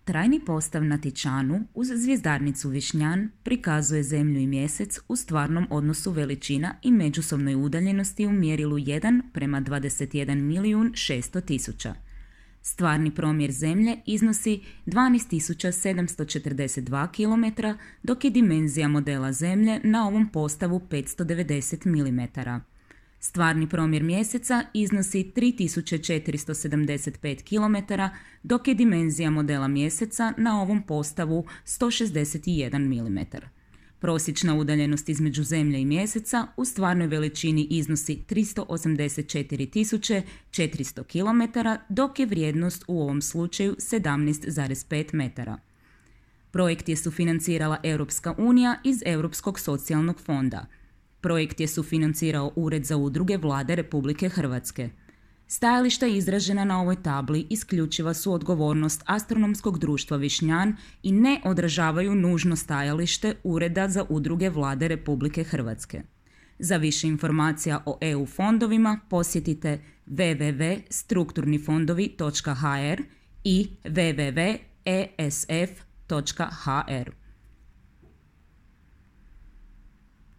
Trajni postav na Tičanu uz zvjezdarnicu Višnjan prikazuje Zemlju i Mjesec u stvarnom odnosu veličina i međusobnoj udaljenosti u mjerilu 1:21.600.000. Stvarni promjer Zemlje iznosi 12.742 km, dok je dimenzija modela Zemlje na ovom postavu 590 mm. Stvarni promjer Mjeseca iznosi 3.475 km, dok je dimenzija modela Mjeseca na ovom postavu 161 mm. Prosječna udaljenost između Zemlje i Mjeseca u stvarnoj veličini iznosi 384.400 km, dok je vrijednost u ovom slučaju 17,5 metara. Projekt je sufinancirala Europska unija iz Europskog socijalnog fonda. Projekt je sufinancirao Ured za udruge Vlade Republike Hrvatske. Stajališta izražena na ovoj tabli isključiva su odgovornost Astronomskog društva Višnjan i ne odražavaju nužno stajalište Ureda za udruge Vlade Republike Hrvatske. Za više informacija o EU fondovima posjetite www.strukturnifondovi.hr i www.esf.hr.